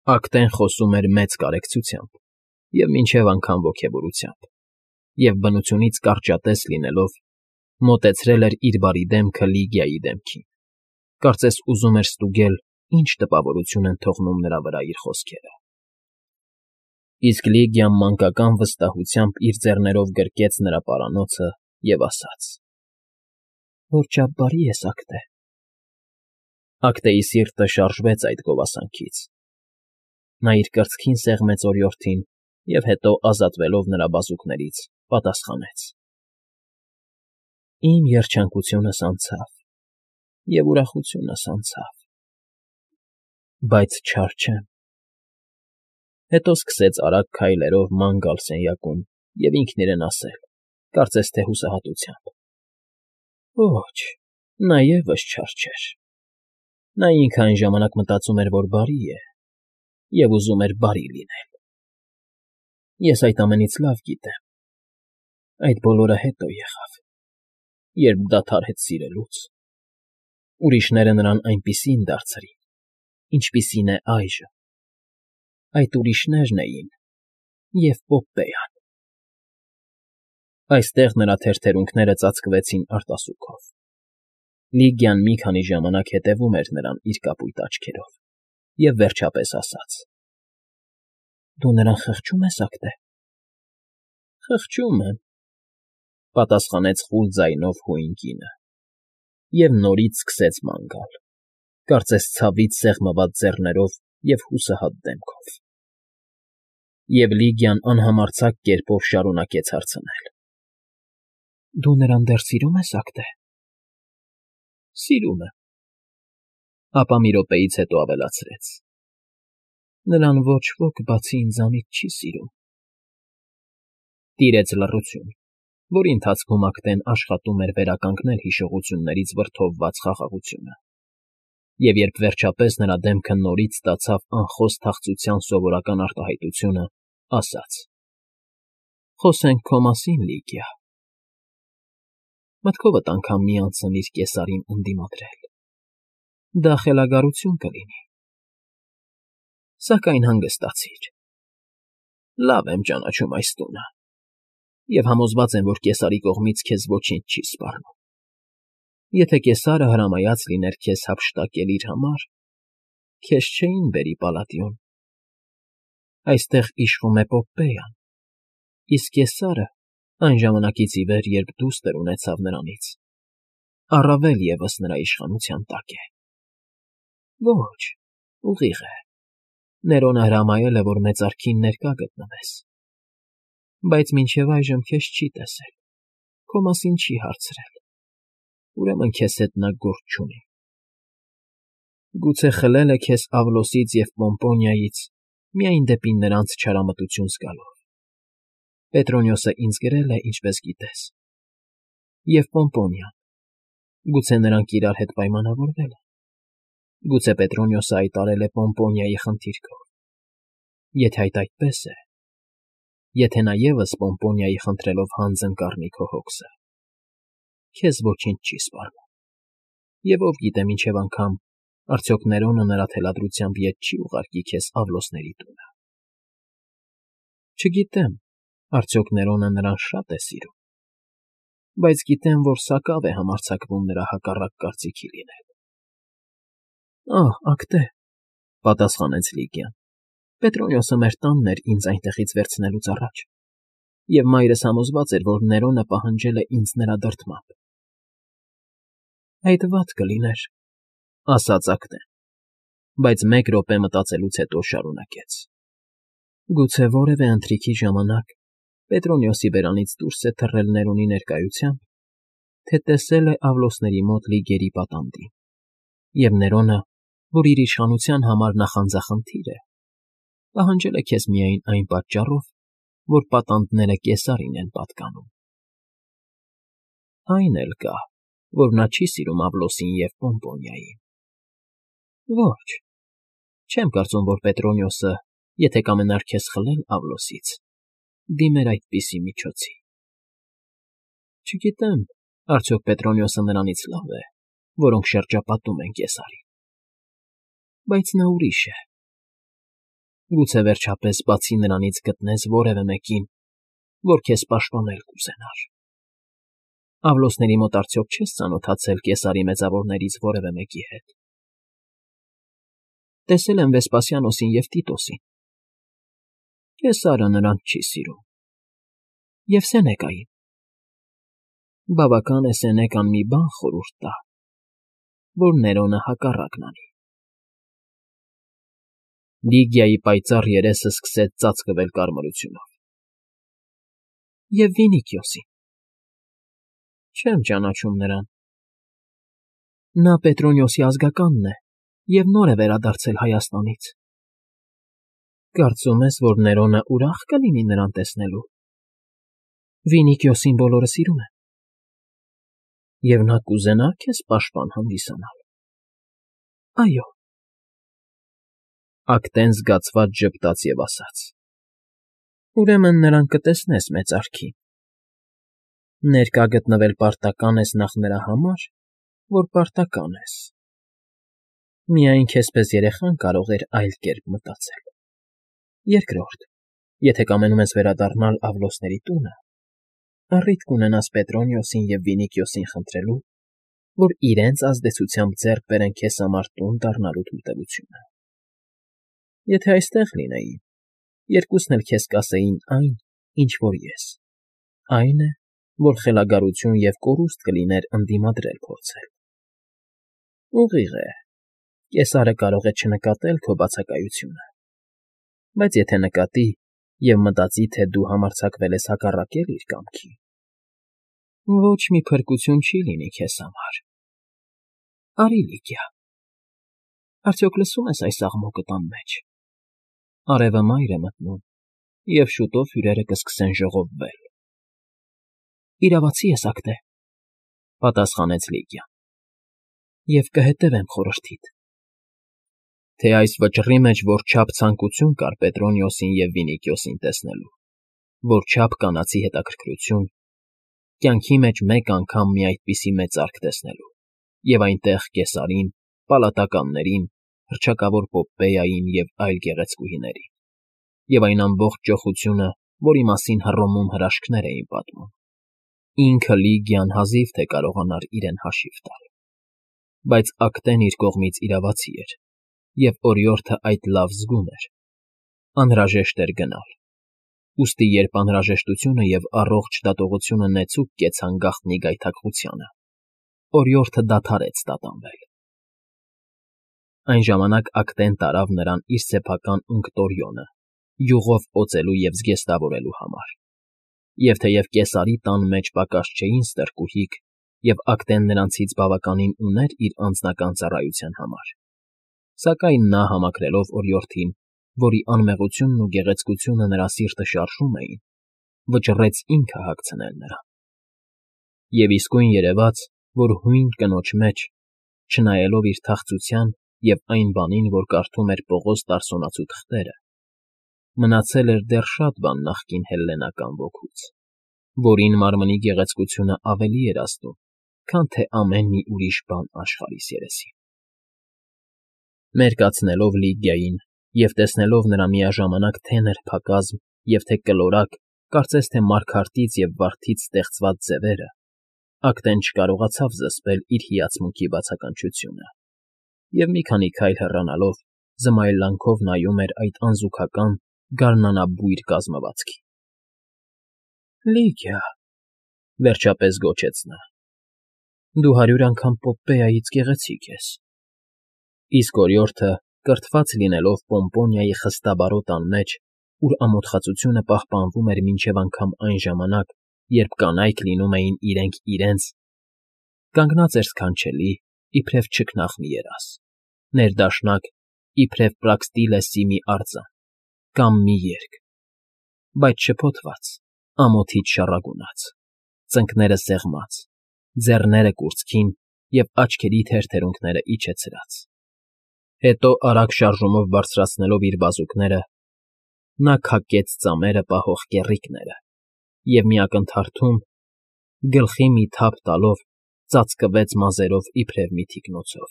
Ակտեն խոսում էր մեծ կարեկցությամբ և մինչև անգամ ոգևորությամբ և, բնությունից կարճատես լինելով, մոտեցրել էր իր բարի դեմքը Լիգիայի դեմքին, կարծես ուզում էր ստուգել ինչ տպավորություն են թողնում նրա վրա իր խոսքերը։ Իսկ Լիգիան մանկական վստահությամբ իր ձեռներով գրկեց նրա պարանոցը և ասաց. «Որչափ բարի ես, Ակտե»։ Ակտեի սիրտը շարժվեց այդ գովասանքից։ Նա իր կրծքին սեղմեց օրիորդին և հետո, ազատվելով նրա բազուկներից, պատասխանեց. «Իմ երջանկությունս անցավ, և ուրախությունս անցավ, բայց չար չեմ»։ Հետո սկսեց արագ քայլերով ման գալ սենյակում և ինքն իրեն ասել, կարծես թե հուսահատությամբ. «Ոչ, նա ևս չար չէր։ Նա ինքը այն ժամանակ մտածում էր, որ բարի է, և ուզում էր բարի լինել։ Ես այդ ամենից լավ գիտեմ։ Այդ բոլորը հետո եղավ, երբ դադարեց սիրելուց։ Ուրիշները նրան այնպիսին դարձրին, ինչպիսին է այժմ։ Այդ ուրիշներն էին և Պոպպեյան»։ Այստեղ նրա թերթերունքները ծածկվեցին արտասուքով։ Լիգիան մի քանի ժամանակ հետևում էր նրան իր կապույտ աչքերով և վերջապես ասաց. «Դու նրան խղճում ես, Ակտե»։ «Խղճում եմ», պատասխանեց խուլ ձայնով հույն կինը և նորից սկսեց ման գալ, կարծես ցավից սեղմված ձեռներով և հուսահատ դեմքով։ Եվ Լիգիան անհամարձակ կերպով շարունակեց հարցնել. «Դու նրան դեռ սիրում ես, Ակտե»։ «Սիրում եմ», ապա մի րոպեից հետո ավելացրեց. «Նրան ոչ ոք բացի ինձանից չի սիրում»։ Տիրեց լռություն, որի ընթացքում Ակտեն աշխատում էր վերականգնել հիշողություններից վրդովված խաղաղությունը, և երբ վերջապես նրա դեմքը նորից ստացավ անխոս թախծության սովորական արտահայտությունը, ասաց. «Խոսենք քո մասին, Լիգիա»։ Մտքովդ անգամ մի անցնիր Կեսարին ընդդիմադրել։ Դա խելագարություն կլինի։ Սակայն հանգստացիր։ Լավ եմ ճանաչում այս տունը և համոզված եմ, որ Կեսարի կողմից քեզ ոչինչ չի սպառնում։ Եթե Կեսարը հրամայած լիներ քեզ հափշտակել իր համար, քեզ չէին բերի Պալատիոն։ Այստեղ իշխում է Պոպպեյան, իսկ Կեսարը, այն ժամանակից ի վեր, երբ դուստր ունեցավ նրանից, առավել ևս նրա իշխանության տակ է։ Ոչ, ուղիղ է, Ներոնը հրամայել է, որ մեծարքին ներկա գտնվես, բայց մինչև այժմ քեզ չի տեսել, քո մասին չի հարցրել, ուրեմն քեզ հետ նա գործ չունի։ Գուցե խլել է քեզ Ավլոսից և Պոմպոնիայից միայն դեպի նրանց չարամտություն զգալով։ Պետրոնիոսը ինձ գրել է, ինչպես գիտես, և Պոմպոնիան, գուցե նրանք իրար հետ պայմանավորվել են։ Գուցե Պետրոնիոսը այդ արել է Պոմպոնիայի խնդիրքով։ Եթե այդ այդպես է, եթե նա ևս Պոմպոնիայի խնդրելով հանձն կառնի քո հոգսը, քեզ ոչինչ չի սպառնում, և ով գիտե մինչև անգամ արդյոք Ներոնը նրա թելադրությամբ ետ չի ուղարկի քեզ Ավլոսների տունը։ Չգիտեմ, արդյոք Ներոնը նրան շատ է սիրում, բայց գիտեմ, որ սակավ է համարձակվում նրա հակառակ կարծիքի լինել։ Ահ, Ակտե, պատասխանեց Լիգիան, Պետրոնիոսը մեր տանն էր ինձ այնտեղից վերցնելուց առաջ, և մայրս համոզված էր, որ Ներոնը պահանջել է ինձ նրա դրդմամբ։ Այդ վատ կլիներ, ասաց Ակտեն, բայց մեկ րոպե մտածելուց հետո շարունակեց. Գուցե որևէ ընթրիքի ժամանակ Պետրոնիոսի բերանից դուրս է թռել Ներոնի ներկայությամբ, թե տեսել է Ավլոսների մոտ Լիգերի պատանդին, և Ներոնը, որ իր իշխանության համար նախանձախնդիր է, պահանջել է քեզ միայն այն պատճառով, որ պատանդները Կեսարին են պատկանում։ Այն էլ կա, որ նա չի սիրում Ավլոսին և Պոմպոնիային։ Ոչ, չեմ կարծում, որ Պետրոնիոսը, եթե կամենար քեզ խլել Ավլոսից, դիմեր այդպիսի միջոցի։ Չգիտեմ, արդյոք Պետրոնիոսը նրանից լավ է, որոնք շրջապատում են Կեսարին։ Բայց նա ուրիշ է։ Գուցե վերջապես բացի նրանից գտնես որևէ մեկին, որ քեզ պաշտպանել կուզենար։ Աղլոսների մոտ արդյոք չես ծանոթացել Կեսարի մեծավորներից որևէ մեկի հետ։ Տեսել եմ Վեսպասիանոսին և Տիտոսին։ Կեսարը նրանց չի սիրում։ Եվ Սենեկային։ Բավական է Սենեկան մի բան խորհուրդ տա, որ Ներոնը հակառակն անի։ Լիգիայի պայծառ երեսը սկսեց ծածկվել կարմրությունով։ Եվ Վինիքիոսին։ Չեմ ճանաչում նրան։ Նա Պետրոնիոսի ազգականն է և նոր է վերադարձել Հայաստանից։ Կարծում ես, որ Ներոնը ուրախ կլինի նրան տեսնելու։ Վինիքիոսին բոլորը սիրում են։ Եվ նա կուզենա քեզ պաշտպան հանդիսանալ։ Այո։ Ակտեն զգացված ժպտաց և ասաց. Ուրեմն նրան կտեսնես մեծարքին։ Ներկա գտնվել պարտական ես նախ նրա համար, որ պարտական ես։ Միայն քեզպես երեխան կարող էր այլ կերպ մտածել։ Երկրորդ, եթե կամենում ես վերադառնալ Աղլոսների տունը, առիթ կունենաս Պետրոնիոսին և Վինիքիոսին խնդրելու, որ իրենց ազդեցությամբ ձեռք բերեն քեզ համար տուն դառնալու թույլտվությունը։ Եթե այստեղ լինեին, երկուսն էլ քեզ կասեին այն, ինչ որ ես, այն է, որ խելագարություն և կորուստ կլիներ ընդդիմադրել փորձել։ Ուղիղ է, Կեսարը կարող է չնկատել քո բացակայությունը, բայց եթե նկատի և մտածի, թե դու համարձակվել ես հակառակել իր կամքին, ոչ մի փրկություն չի լինի քեզ համար։ Արի, Լիգիա, արդյոք լսում ես այս աղմուկը տան մեջ։ Արևը մայր է մտնում, և շուտով հյուրերը կսկսեն ժողովվել։ Իրավացի ես, Ակտե, պատասխանեց Լիգիան, և կհետևեմ խորհրդիդ։ Թե այս վճռի մեջ որչափ ցանկություն կար Պետրոնիոսին և Վինիքիոսին տեսնելու, որչափ կանացի հետաքրքրություն, կյանքի մեջ մեկ անգամ մի այդպիսի մեծարք տեսնելու, և այնտեղ Կեսարին, պալատականներին, հռչակավոր Պոպպեյային և այլ գեղեցկուհիներին, և այն ամբողջ ճոխությունը, որի մասին Հռոմում հրաշքներ էին պատմում։ Ինքը Լիգիան հազիվ թե կարողանար իրեն հաշիվ տալ։ Բայց Ակտեն իր կողմից իրավացի էր, և օրիորդը այդ լավ զգում էր։ Անհրաժեշտ էր գնալ։ Ուստի երբ անհրաժեշտությունը և առողջ դատողությունը նեցուկ կեցան գաղտնի գայթակղությանը, օրիորդը դադարեց տատանվել։ Այն ժամանակ Ակտեն տարավ նրան իր սեփական Ունկտորիոնը, յուղով օծելու և զգեստավորելու համար։ Եվ թեև Կեսարի տան մեջ պակաս չէին ստրկուհիք, և Ակտեն նրանցից բավականին ուներ իր անձնական ծառայության համար, սակայն նա, համակրելով օրիորդին, որի անմեղությունն ու գեղեցկությունը նրա սիրտը շարժում էին, վճռեց ինքը հագցնել նրան։ Եվ իսկույն երևաց, որ հույն կնոջ մեջ, չնայելով իր թախծության և այն բանին, որ կարդում էր Պողոս Տարսոնացու թղթերը, մնացել էր դեռ շատ բան նախկին հելլենական ոգուց, որին մարմնի գեղեցկությունը ավելի էր ազդում, քան թե ամեն մի ուրիշ բան աշխարհիս երեսին։ Մերկացնելով Լիգիային և տեսնելով նրա միաժամանակ թե նրբակազմ և թե կլորակ, կարծես թե մարգարտից և վարդից ստեղծված ձևերը, Ակտեն չկարողացավ զսպել իր հիացմունքի բացականչությունը, և մի քանի քայլ հեռանալով զմայլանքով նայում էր այդ անզուգական, գարնանաբույր կազմվածքին։ Լիգիա, վերջապես գոչեց նա, դու 100 անգամ Պոպպեյայից գեղեցիկ ես։ Իսկ օրիորդը, կրթված լինելով Պոմպոնիայի խստաբարոտ անմեջ, ուր ամոթխածությունը պահպանվում էր մինչև անգամ այն ժամանակ, երբ կանայք լինում էին իրենք իրենց, կանգնած էր սքանչելի, իբրև չքնաղ մի երազ, ներդաշնակ, իբրև Պրաքստիլեսի մի արձան կամ մի երգ, բայց շփոթված, ամոթից շառագունած, ծնկները սեղմած, ձեռները կուրծքին և աչքերի թերթերունքները իջեցրած։ Հետո արագ շարժումով բարձրացնելով իր բազուկները, նա քակեց ծամերը պահող կեռիկները և մի ակնթարթում, գլխի մի թափ տալով, ծածկվեց մազերով իբրև մի թիկնոցով։